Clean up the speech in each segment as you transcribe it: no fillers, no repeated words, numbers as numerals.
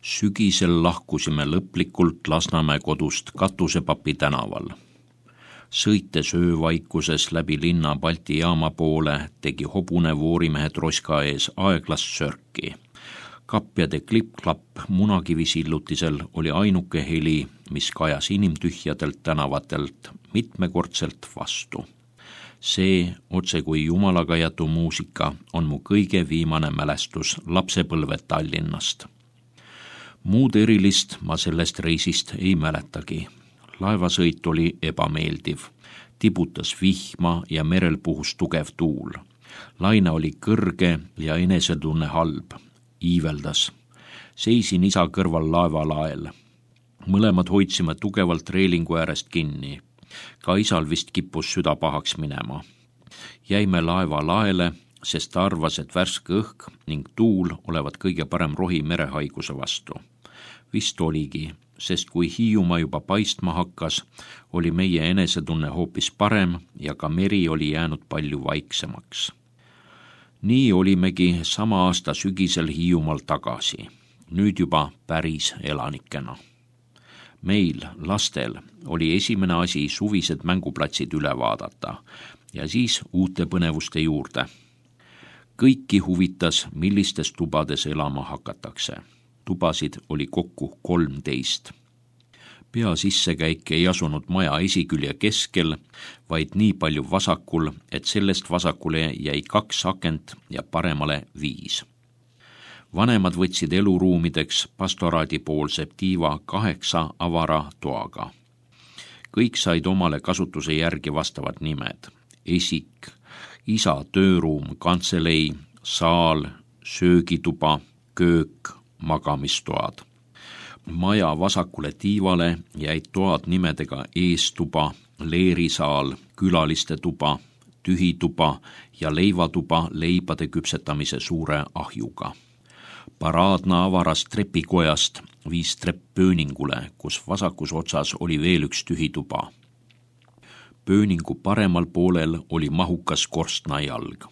Sügisel lahkusime lõplikult Lasnamäe kodust Katusepapi tänaval. Sõites öövaikuses läbi linna Balti jaama poole tegi hobune voorimehe troska ees aeglast sörki. Kapjade klipp-klapp munakivisillutisel oli ainuke heli, mis kajas inimtühjadelt tänavatelt mitmekordselt vastu. See, otse kui jumalaga jätu muusika, on mu kõige viimane mälestus lapsepõlve Tallinnast. Muud erilist ma sellest reisist ei mäletagi. Laevasõit oli ebameeldiv. Tibutas vihma ja merel puhus tugev tuul. Laine oli kõrge ja enesetunne halb. Iiveldas. Seisin isa kõrval laevalael. Mõlemad hoidsime tugevalt reelingu äärest kinni. Ka isal vist kippus süda pahaks minema. Jäime laevalaele, sest ta arvas, et värske õhk ning tuul olevat kõige parem rohi merehaiguse vastu. Vist oligi, sest kui Hiiumaa juba paistma hakkas, oli meie enesetunne hoopis parem ja ka meri oli jäänud palju vaiksemaks. Nii olimegi sama aasta sügisel Hiiumaal tagasi, nüüd juba päris elanikena. Meil, lastel, oli esimene asi suvised mänguplatsid üle vaadata ja siis uute põnevuste juurde. Kõiki huvitas, millistes tubades elama hakatakse. Tubasid oli kokku 13. Pea sissekäik ei asunud maja esikülje keskel, vaid nii palju vasakul, et sellest vasakule jäi 2 akent ja paremale 5. Vanemad võtsid eluruumideks pastoraadipoolse tiiva 8 avara toaga. Kõik said omale kasutuse järgi vastavad nimed. Esik, isa tööruum, kantselei, saal, söögituba, köök, magamistoad. Maja vasakule tiivale jäid toad nimedega eestuba, leerisaal, külaliste tuba, tühituba ja leivatuba leibade küpsetamise suure ahjuga. Paraadna avarast trepikojast viis trepp pööningule, kus vasakus otsas oli veel üks tühituba. Pööningu paremal poolel oli mahukas korstnajalg.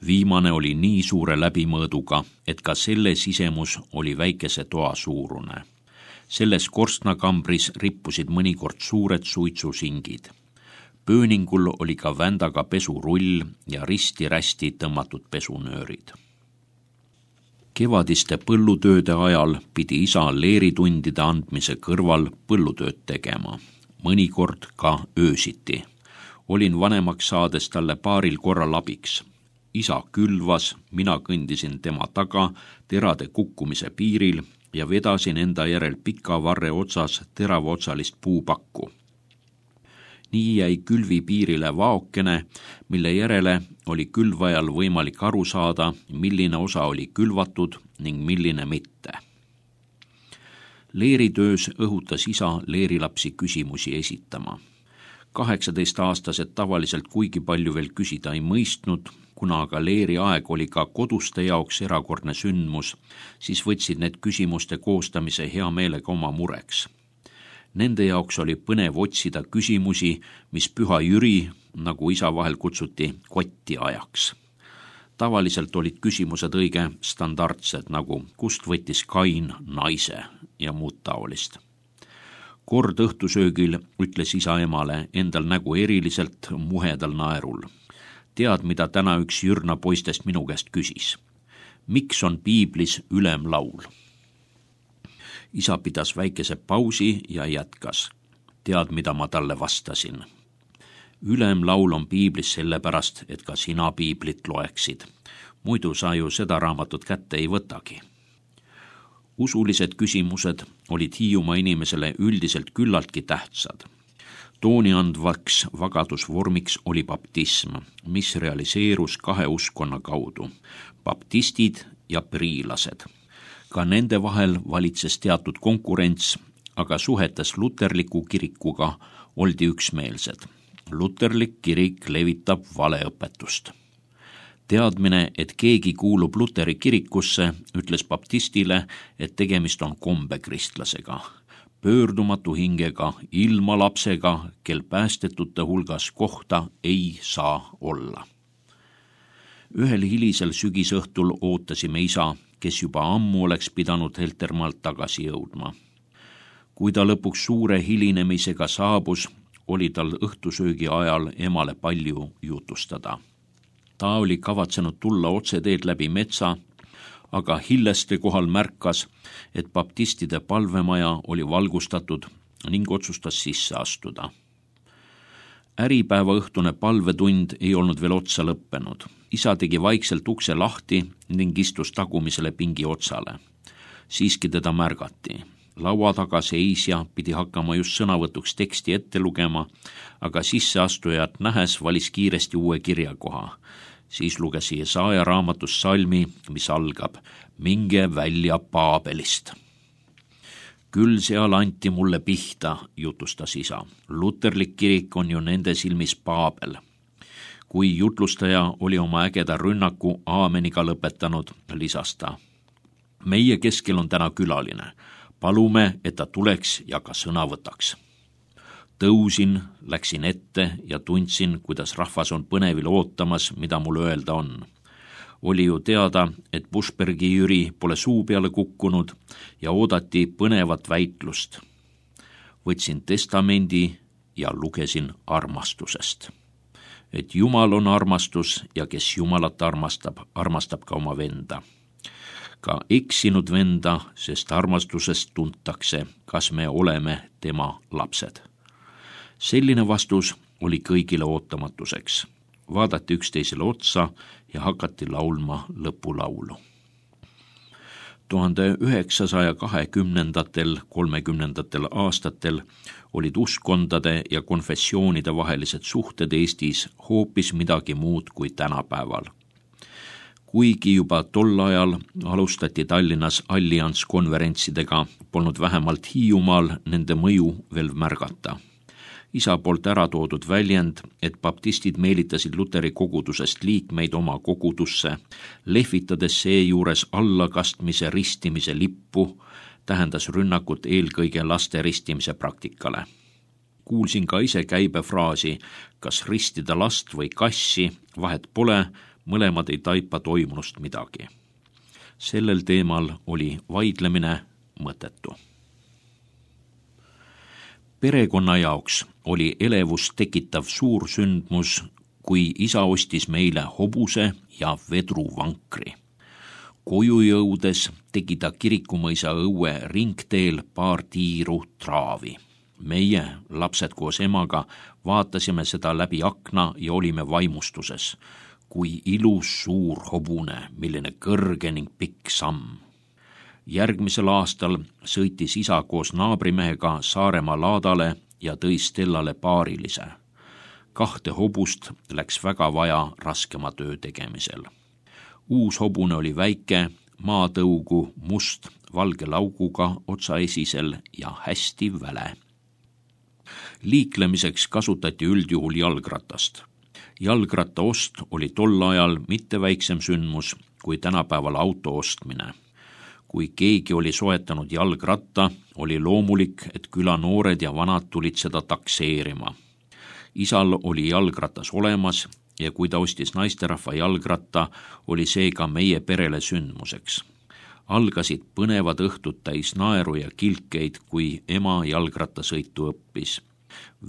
Viimane oli nii suure läbimõõduga, et ka selle sisemus oli väikese toa suurune. Selles korstnakambris rippusid mõnikord suured suitsusingid. Pööningul oli ka vändaga pesurull ja risti-rästi tõmmatud pesunöörid. Kevadiste põllutööde ajal pidi isa leeritundide andmise kõrval põllutööd tegema. Mõnikord ka öösiti. Olin vanemaks saades talle paaril korral abiks. Isa külvas, mina kõndisin tema taga terade kukkumise piiril ja vedasin enda järel pika varre otsas teravotsalist puupakku. Nii jäi külvi piirile vaokene, mille järele oli külvajal võimalik aru saada, milline osa oli külvatud ning milline mitte. Leeritöös õhutas isa leerilapsi küsimusi esitama. 18-aastased tavaliselt kuigi palju veel küsida ei mõistnud, kuna aga leeri aeg oli ka koduste jaoks erakordne sündmus, siis võtsid need küsimuste koostamise hea meelega oma mureks. Nende jaoks oli põnev otsida küsimusi, mis Püha Jüri, nagu isa vahel kutsuti, kotti ajaks. Tavaliselt olid küsimused õige standardsed, nagu kust võttis Kain naise ja muud taolist. Kord õhtusöögil ütles isa emale endal nägu eriliselt muhedal naerul. Tead, mida täna üks Jürna poistest minu käest küsis? Miks on piiblis ülemlaul? Isa pidas väikese pausi ja jätkas. Tead, mida ma talle vastasin? Ülemlaul on piiblis sellepärast, et ka sina piiblit loeksid. Muidu sa ju seda raamatut kätte ei võtagi. Usulised küsimused olid Hiiumaa inimesele üldiselt küllaltki tähtsad. Tooni andvaks vagadusvormiks oli baptism, mis realiseerus 2 uskonna kaudu, baptistid ja priilased. Ka nende vahel valitses teatud konkurents, aga suhetes luterliku kirikuga oldi üksmeelsed. Luterlik kirik levitab valeõpetust. Teadmine, et keegi kuulub Luteri kirikusse, ütles baptistile, et tegemist on kombekristlasega. Pöördumatu hingega, ilma lapsega, kel päästetute hulgas kohta ei saa olla. Ühel hilisel sügisõhtul ootasime isa, kes juba ammu oleks pidanud Heltermaalt tagasi jõudma. Kui ta lõpuks suure hilinemisega saabus, oli tal õhtusöögi ajal emale palju jutustada. Ta oli kavatsenud tulla otseteed läbi metsa, aga Hilleste kohal märkas, et baptistide palvemaja oli valgustatud ning otsustas sisse astuda. Äripäeva õhtune palvetund ei olnud veel otsa lõppenud. Isa tegi vaikselt ukse lahti ning istus tagumisele pingi otsale. Siiski teda märgati. Laua taga seisja pidi hakkama just sõnavõtuks teksti ette lugema, aga sisseastujat nähes valis kiiresti uue kirjakoha. Siis luges Jesaja raamatus salmi, mis algab: minge välja Paabelist. Küll seal anti mulle pihta, jutustas isa. Luterlik kirik on ju nende silmis Paabel. Kui jutlustaja oli oma ägeda rünnaku aameniga lõpetanud, lisas ta: meie keskel on täna külaline. Palume, et ta tuleks ja ka sõna võtaks. Tõusin, läksin ette ja tundsin, kuidas rahvas on põnevil ootamas, mida mul öelda on. Oli ju teada, et Buschbergi Jüri pole suu peale kukkunud ja oodati põnevat väitlust. Võtsin testamendi ja lugesin armastusest. Et Jumal on armastus ja kes Jumalat armastab, armastab ka oma venda. Ka eksinud venda, sest armastusest tuntakse, kas me oleme tema lapsed. Selline vastus oli kõigile ootamatuseks. Vaadati üksteisele otsa ja hakati laulma lõpulaulu. 1920. aastatel olid uskondade ja konfessioonide vahelised suhted Eestis hoopis midagi muud kui tänapäeval. Kuigi juba tol ajal alustati Tallinnas allianskonverentsidega, polnud vähemalt Hiiumaal nende mõju veel märgata. Isa poolt ära toodud väljend, et baptistid meelitasid Luteri kogudusest liikmeid oma kogudusse, lehvitades seejuures allakastmise ristimise lippu, tähendas rünnakut eelkõige laste ristimise praktikale. Kuulsin ka ise käibefraasi, kas ristida last või kassi, vahet pole, mõlemad ei taipa toimunust midagi. Sellel teemal oli vaidlemine mõttetu. Perekonna jaoks oli elevust tekitav suur sündmus, kui isa ostis meile hobuse ja vedruvankri. Koju jõudes tegi ta Kirikumõisa õue ringteel paar tiiru traavi. Meie, lapsed koos emaga, vaatasime seda läbi akna ja olime vaimustuses. Kui ilus suur hobune, milline kõrge ning pikk samm. Järgmisel aastal sõitis isa koos naabrimehega Saaremaa laadale ja tõi Stellale paarilise. 2 hobust läks väga vaja raskema töö tegemisel. Uus hobune oli väike, maatõugu, must, valge lauguga otsaesisel ja hästi väle. Liiklemiseks kasutati üldjuhul jalgratast. Jalgratta ost oli tol ajal mitte väiksem sündmus kui tänapäeval auto ostmine. Kui keegi oli soetanud jalgratta, oli loomulik, et küla noored ja vanad tulid seda takseerima. Isal oli jalgratas olemas ja kui ta ostis naisterahva jalgratta, oli see ka meie perele sündmuseks. Algasid põnevad õhtud täis naeru ja kilkeid, kui ema jalgrattasõitu õppis.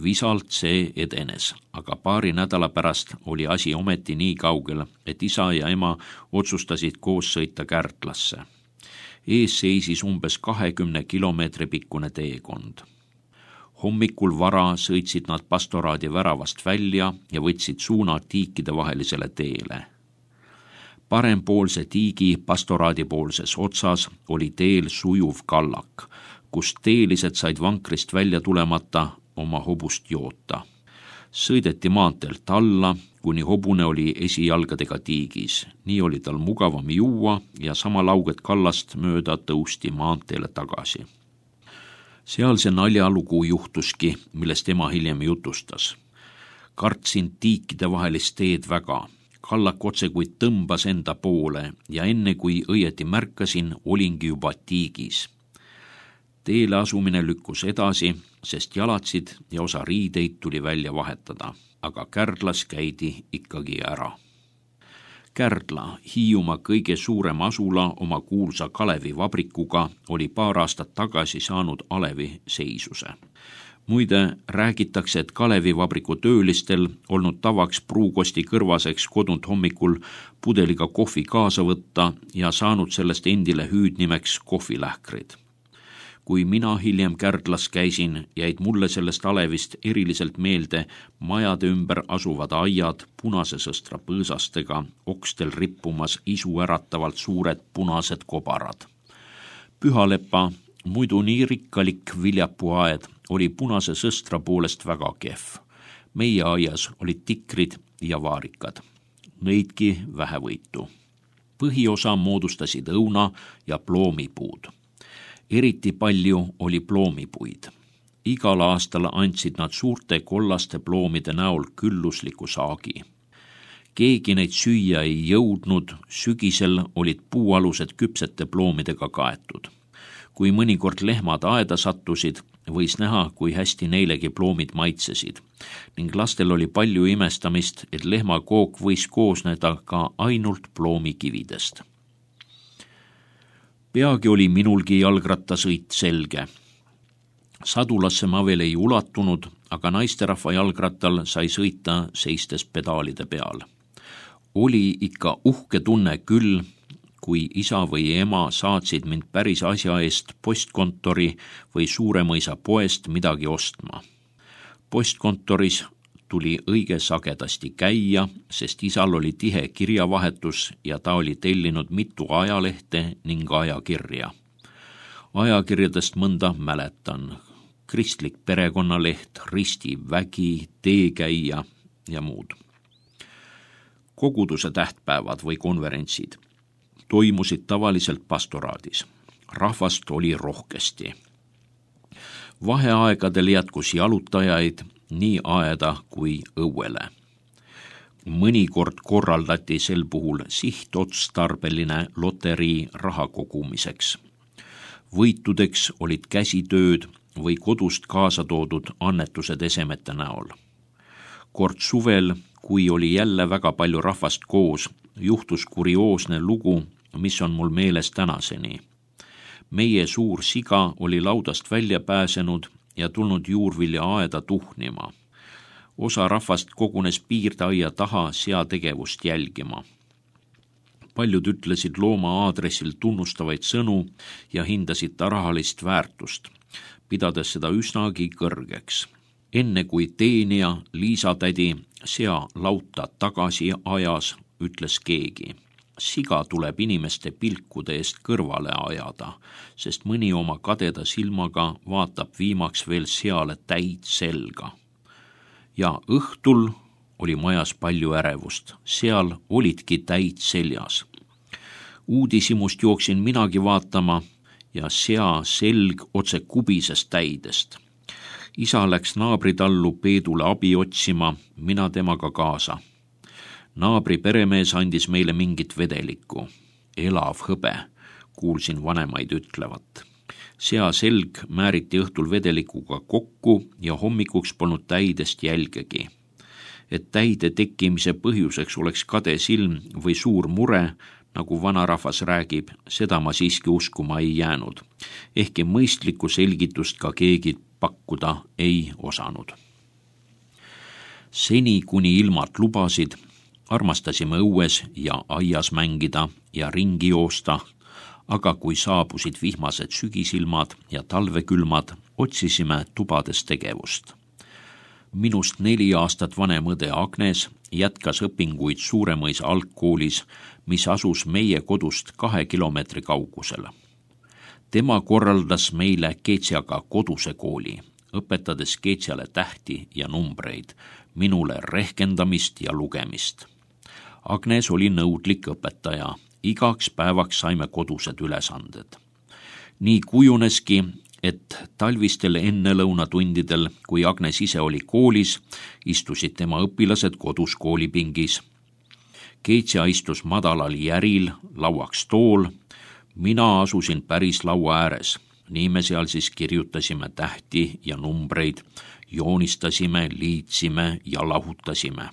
Visalt see edenes, aga paari nädala pärast oli asi ometi nii kaugel, et isa ja ema otsustasid koos sõita Kärdlasse. Ees seisis umbes 20 kilomeetri pikkune teekond. Hommikul vara sõitsid nad pastoraadi väravast välja ja võtsid suuna tiikide vahelisele teele. Parempoolse tiigi pastoraadi poolses otsas oli teel sujuv kallak, kus teelised said vankrist välja tulemata oma hobust joota. Sõideti maanteelt alla, kuni hobune oli esijalgadega tiigis. Nii oli tal mugavam juua ja sama lauget kallast mööda tõusti maanteele tagasi. Seal see naljalugu juhtuski, millest ema hiljem jutustas. Kartsin tiikide vahelist teed väga. Kallak otse kui tõmbas enda poole ja enne kui õieti märkasin, olingi juba tiigis. Teele asumine lükkus edasi, sest jalatsid ja osa riideid tuli välja vahetada, aga Kärdlas käidi ikkagi ära. Kärdla, Hiiumaa kõige suurem asula oma kuulsa Kalevi vabrikuga, oli paar aastat tagasi saanud alevi seisuse. Muide, räägitakse, et Kalevi vabriku töölistel olnud tavaks pruukosti kõrvaseks kodunt hommikul pudeliga kohvi kaasa võtta ja saanud sellest endile hüüdnimeks kohvilähkrid. Kui mina hiljem Kärdlas käisin, jäid mulle sellest alevist eriliselt meelde majade ümber asuvad aiad punase sõstra põõsastega, okstel rippumas isuäratavalt suured punased kobarad. Pühalepa, muidu nii rikkalik viljapuuaed, oli punase sõstra poolest väga kehv. Meie aias olid tikrid ja vaarikad. Neidki vähevõitu. Põhiosa moodustasid õuna ja ploomipuud. Eriti palju oli ploomipuid. Igal aastal andsid nad suurte kollaste ploomide näol küllusliku saagi. Keegi neid süüa ei jõudnud, sügisel olid puualused küpsete ploomidega kaetud. Kui mõnikord lehmad aeda sattusid, võis näha, kui hästi neilegi ploomid maitsesid, ning lastel oli palju imestamist, et lehmakook võis koosneda ka ainult ploomikividest. Peagi oli minulgi jalgrattasõit selge. Sadulasse ma veel ei ulatunud, aga naisterahva jalgrattal sai sõita seistes pedaalide peal. Oli ikka uhke tunne küll, kui isa või ema saatsid mind päris asja eest postkontori või Suuremõisa poest midagi ostma. Postkontoris tuli õige sagedasti käia, sest isal oli tihe kirjavahetus ja ta oli tellinud mitu ajalehte ning ajakirja. Ajakirjadest mõnda mäletan. Kristlik perekonnaleht, Risti vägi, Teekäija ja muud. Koguduse tähtpäevad või konverentsid toimusid tavaliselt pastoraadis. Rahvast oli rohkesti. Vaheaegadel jätkus jalutajaid nii aeda kui õuele. Mõnikord korraldati sel puhul sihtotstarbeline loterii raha kogumiseks. Võitudeks olid käsitööd või kodust kaasa toodud annetused esemete näol. Kord suvel, kui oli jälle väga palju rahvast koos, juhtus kurioosne lugu, mis on mul meeles tänaseni. Meie suur siga oli laudast välja pääsenud ja tulnud juurvilja aeda tuhnima. Osa rahvast kogunes piirdaia taha seategevust jälgima. Paljud ütlesid looma aadressil tunnustavaid sõnu ja hindasid ta rahalist väärtust, pidades seda üsnagi kõrgeks. Enne kui teenija Liisa tädi sea lauta tagasi ajas, ütles keegi. Siga tuleb inimeste pilkude eest kõrvale ajada, sest mõni oma kadeda silmaga vaatab viimaks veel seale täid selga. Ja õhtul oli majas palju ärevust, seal olidki täid seljas. Uudisimust jooksin minagi vaatama ja sea selg otse kubises täidest. Isa läks naabritallu Peedule abi otsima, mina temaga kaasa. Naabri peremees andis meile mingit vedelikku. Elav hõbe, kuulsin vanemaid ütlevat. Sea selg määriti õhtul vedelikuga kokku ja hommikuks polnud täidest jälgegi. Et täide tekkimise põhjuseks oleks kade silm või suur mure, nagu vanarahvas räägib, seda ma siiski uskuma ei jäänud. Ehkki mõistlikku selgitust ka keegi pakkuda ei osanud. Seni, kuni ilmad lubasid, armastasime õues ja aias mängida ja ringi joosta, aga kui saabusid vihmased sügisilmad ja talvekülmad, otsisime tubades tegevust. Minust 4 aastat vanem õde Agnes jätkas õpinguid Suuremõisa algkoolis, mis asus meie kodust 2 kilomeetri kaugusel. Tema korraldas meile Keetsjaga koduse kooli, õpetades Keetsjale tähti ja numbreid, minule rehkendamist ja lugemist. Agnes oli nõudlik õpetaja, igaks päevaks saime kodused ülesanded. Nii kujuneski, et talvistel ennelõunatundidel, kui Agnes ise oli koolis, istusid tema õpilased kodus koolipingis. Keetsja istus madalal järil, lauaks tool, mina asusin päris laua ääres. Nii me seal siis kirjutasime tähti ja numbreid, joonistasime, liitsime ja lahutasime.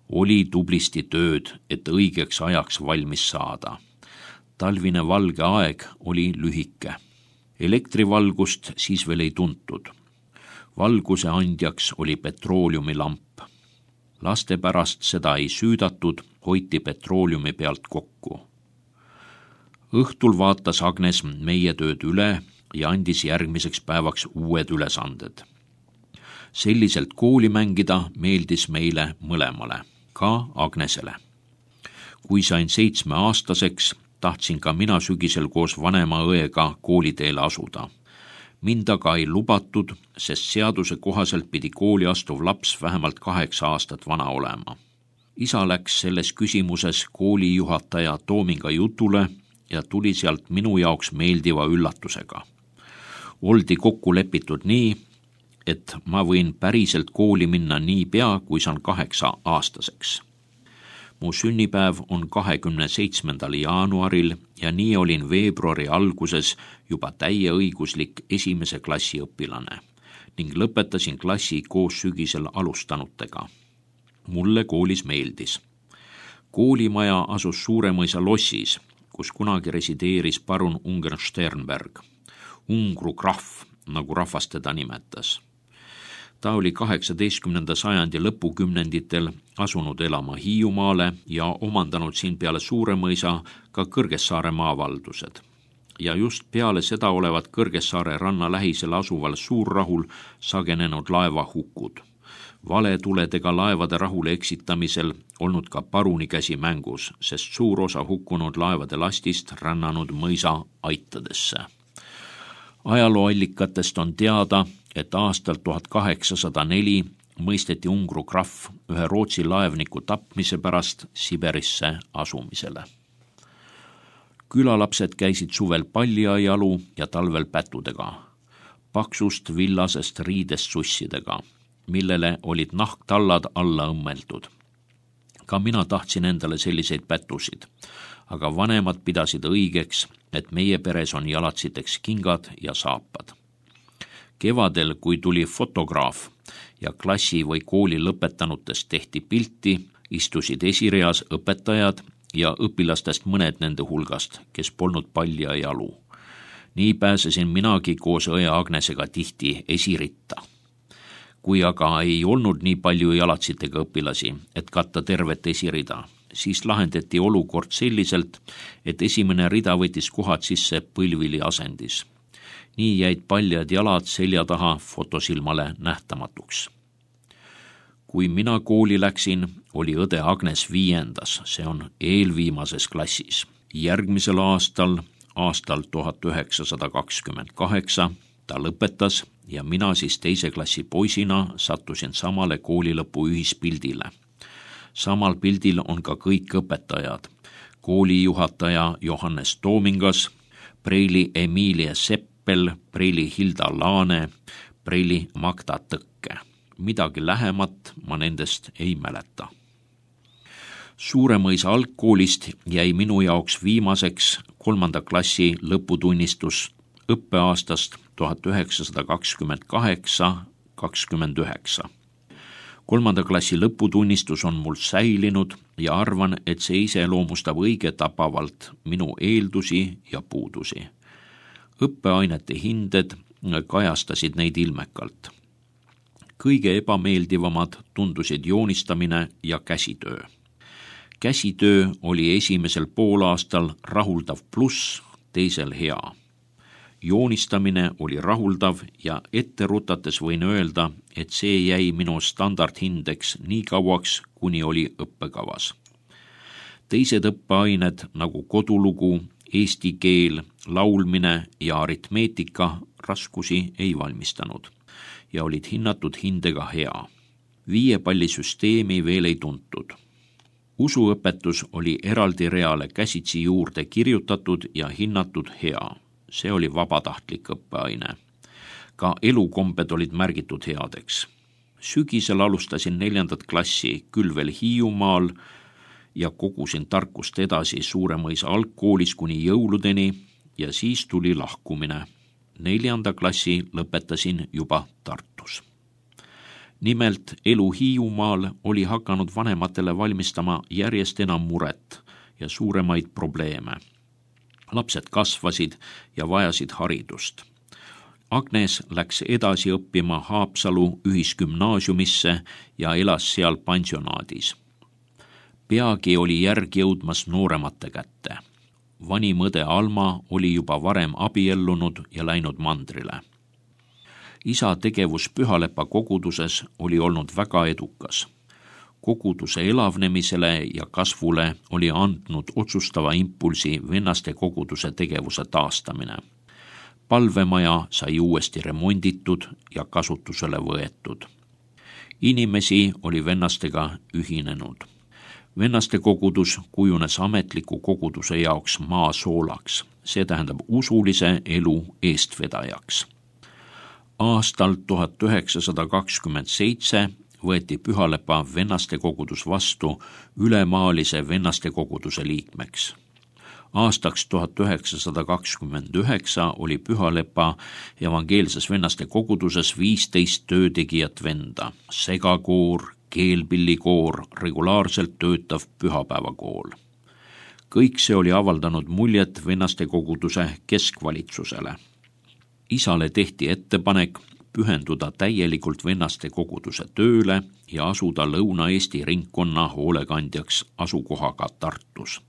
Oli tublisti tööd, et õigeks ajaks valmis saada. Talvine valge aeg oli lühike. Elektrivalgust siis veel ei tuntud. Valguse andjaks oli petrooliumilamp. Laste pärast seda ei süüdatud, hoiti petrooliumi pealt kokku. Õhtul vaatas Agnes meie tööd üle ja andis järgmiseks päevaks uued ülesanded. Selliselt kooli mängida meeldis meile mõlemale, ka Agnesele. Kui sain 7-aastaseks, tahtsin ka mina sügisel koos vanema õega kooliteele asuda. Mind aga ei lubatud, sest seaduse kohaselt pidi kooli astuv laps vähemalt 8 aastat vana olema. Isa läks selles küsimuses koolijuhataja Toominga jutule ja tuli sealt minu jaoks meeldiva üllatusega. Oldi kokku lepitud nii, et ma võin päriselt kooli minna nii pea, kui saan 8-aastaseks. Mu sünnipäev on 27. jaanuaril ja nii olin veebruari alguses juba täieõiguslik 1. klassi õpilane ning lõpetasin klassi koos sügisel alustanutega. Mulle koolis meeldis. Koolimaja asus Suuremõisa lossis, kus kunagi resideeris parun Ungern-Sternberg, Ungru krahv, nagu rahvas teda nimetas. Ta oli 18. sajandi lõpukümnenditel asunud elama Hiiumaale ja omandanud siin peale Suuremõisa ka Kõrgessaare maavaldused. Ja just peale seda olevat Kõrgessaare ranna lähisel asuval Suurrahul sagenenud laevahukud. Valetuledega laevade rahule eksitamisel olnud ka paruni käsi mängus, sest suur osa hukkunud laevade lastist rännanud mõisa aitadesse. Ajalooallikatest on teada, et aastal 1804 mõisteti Ungru krahv ühe Rootsi laevniku tapmise pärast Siberisse asumisele. Külalapsed käisid suvel paljajalu ja talvel pätudega, paksust villasest riidest sussidega, millele olid nahktallad alla õmmeldud. Ka mina tahtsin endale selliseid pätusid, aga vanemad pidasid õigeks, et meie peres on jalatsiteks kingad ja saapad. Kevadel, kui tuli fotograaf ja klassi või kooli lõpetanutest tehti pilti, istusid esireas õpetajad ja õpilastest mõned nende hulgast, kes polnud paljajalu. Nii pääsesin minagi koos õe Agnesega tihti esiritta. Kui aga ei olnud nii palju jalatsitega õpilasi, et katta tervet esirida, siis lahendati olukord selliselt, et esimene rida võttis kohad sisse põlvili asendis. Nii jäid paljad jalad selja taha fotosilmale nähtamatuks. Kui mina kooli läksin, oli õde Agnes 5., see on eelviimases klassis. Järgmisel aastal 1928, ta lõpetas ja mina siis 2. klassi poisina sattusin samale koolilõpu ühispildile. Samal pildil on ka kõik õpetajad. Koolijuhataja Johannes Toomingas, preili Emilie Seppel, preili Hilda Laane, preili Magda Tõkke. Midagi lähemat ma nendest ei mäleta. Suuremõisa algkoolist jäi minu jaoks viimaseks 3. klassi lõputunnistus õppeaastast 1928-29. 3. klassi lõputunnistus on mul säilinud ja arvan, et see iseloomustab õige tabavalt minu eeldusi ja puudusi. Õppeainete hinded kajastasid neid ilmekalt. Kõige ebameeldivamad tundusid joonistamine ja käsitöö. Käsitöö oli esimesel poolaastal rahuldav pluss, teisel hea. Joonistamine oli rahuldav ja ette rutates võin öelda, et see jäi minu standardhindeks nii kauaks, kuni oli õppekavas. Teised õppeained nagu kodulugu, eesti keel, laulmine ja aritmeetika raskusi ei valmistanud ja olid hinnatud hindega hea. 5-pallisüsteemi veel ei tuntud. Usuõpetus oli eraldi reale käsitsi juurde kirjutatud ja hinnatud hea. See oli vabatahtlik õppeaine. Ka elukombed olid märgitud headeks. Sügisel alustasin 4. klassi küll veel Hiiumaal ja kogusin tarkust edasi Suuremõisa algkoolis kuni jõuludeni ja siis tuli lahkumine. 4. klassi lõpetasin juba Tartus. Nimelt elu Hiiumaal oli hakanud vanematele valmistama järjest enam muret ja suuremaid probleeme. Lapsed kasvasid ja vajasid haridust. Agnes läks edasi õppima Haapsalu ühisgümnaasiumisse ja elas seal pansionaadis. Peagi oli järg jõudmas nooremate kätte. Vanim õde Alma oli juba varem abiellunud ja läinud mandrile. Isa tegevus Pühalepa koguduses oli olnud väga edukas. Koguduse elavnemisele ja kasvule oli andnud otsustava impulsi vennaste koguduse tegevuse taastamine. Palvemaja sai uuesti remonditud ja kasutusele võetud. Inimesi oli vennastega ühinenud. Vennaste kogudus kujunes ametliku koguduse jaoks maasoolaks, see tähendab usulise elu eestvedajaks. Aastal 1927 võeti Pühalepa vennaste kogudus vastu ülemaalise vennaste koguduse liikmeks. Aastaks 1929 oli Pühalepa evangeelses vennaste koguduses 15 töötegijat venda, segakoor, keelpillikoor, regulaarselt töötav pühapäevakool. Kõik see oli avaldanud muljet vennaste koguduse keskvalitsusele. Isale tehti ettepanek pühenduda täielikult vennaste koguduse tööle ja asuda Lõuna-Eesti ringkonna hoolekandjaks asukohaga Tartus.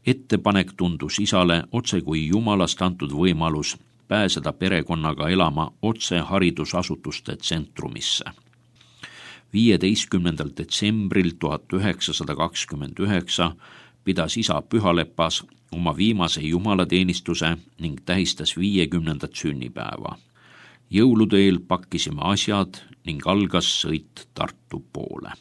Ettepanek tundus isale otse kui Jumalast antud võimalus pääseda perekonnaga elama otse haridusasutuste tsentrumisse. 15. detsembril 1929 pidas isa Pühalepas oma viimase jumalateenistuse ning tähistas 50. sünnipäeva. Jõulude eel pakkisime asjad ning algas sõit Tartu poole.